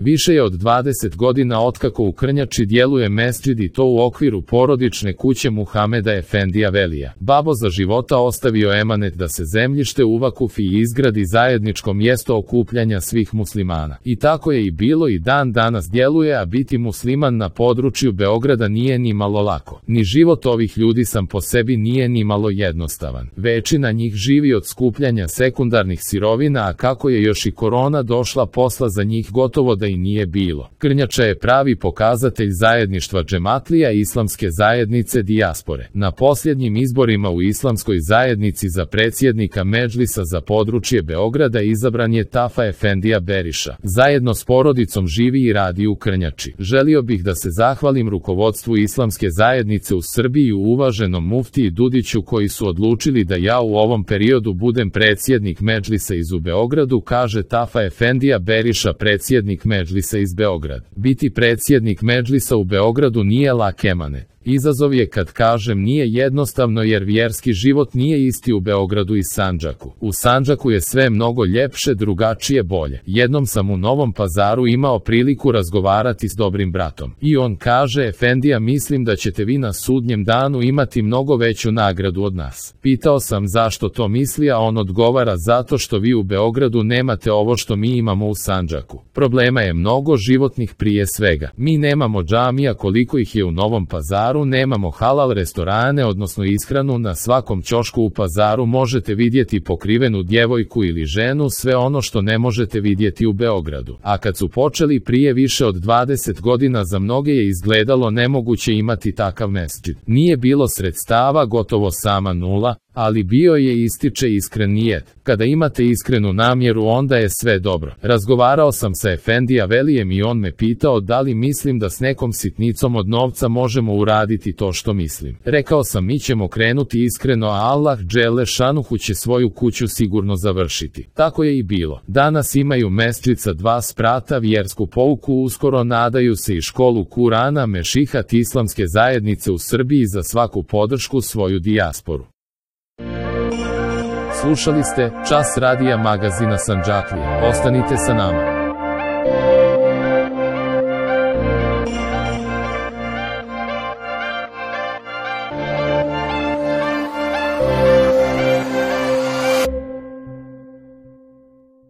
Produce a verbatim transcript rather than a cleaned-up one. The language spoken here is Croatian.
Više je od dvadeset godina otkako u Krnjači djeluje mesdžid i to u okviru porodične kuće Muhameda Efendija Velija. Babo za života ostavio emanet da se zemljište u Vakufi izgradi zajedničko mjesto okupljanja svih muslimana. I tako je i bilo i dan danas djeluje, a biti musliman na području Beograda nije ni malo lako. Ni život ovih ljudi sam po sebi nije ni malo jednostavan. Većina njih živi od skupljanja sekundarnih sirovina, a kako je još i korona došla, posla za njih gotovo da i nije bilo. Krnjača je pravi pokazatelj zajedništva džematlija i islamske zajednice dijaspore. Na posljednjim izborima u islamskoj zajednici za predsjednika Medžlisa za područje Beograda izabran je Tafa Efendija Beriša. Zajedno s porodicom živi i radi u Krnjači. Želio bih da se zahvalim rukovodstvu islamske zajednice u Srbiji i uvaženom muftiji Dudiću koji su odlučili da ja u ovom periodu budem predsjednik Medžlisa iz u Beogradu, kaže Tafa Efendija Beriša, predsjednik Medžlisa iz Beograda. Biti predsjednik Medžlisa u Beogradu nije lak emanet. Izazov je, kad kažem nije jednostavno, jer vjerski život nije isti u Beogradu i Sandžaku. U Sandžaku je sve mnogo ljepše, drugačije, bolje. Jednom sam u Novom Pazaru imao priliku razgovarati s dobrim bratom. I on kaže: Efendija, mislim da ćete vi na sudnjem danu imati mnogo veću nagradu od nas. Pitao sam zašto to misli, a on odgovara: zato što vi u Beogradu nemate ovo što mi imamo u Sandžaku. Problema je mnogo životnih, prije svega. Mi nemamo džamija koliko ih je u Novom Pazaru, nemamo halal restorane, odnosno ishranu. Na svakom ćošku u Pazaru možete vidjeti pokrivenu djevojku ili ženu, sve ono što ne možete vidjeti u Beogradu. A kad su počeli prije više od dvadeset godina, za mnoge je izgledalo nemoguće imati takav mesdžid. Nije bilo sredstava, gotovo sama nula, ali bio je, ističe, iskren nijet. Kada imate iskrenu namjeru, onda je sve dobro. Razgovarao sam sa Efendija Velijem i on me pitao da li mislim da s nekom sitnicom od novca možemo uraditi to što mislim. Rekao sam: mi ćemo krenuti iskreno, a Allah dželle šanuhu će svoju kuću sigurno završiti. Tako je i bilo. Danas imaju mesdžid sa dva sprata, vjersku pouku, uskoro nadaju se i školu Kurana, mešihat islamske zajednice u Srbiji za svaku podršku svoju dijasporu. Slušali ste Čas radija magazina Sandžaklija. Ostanite sa nama.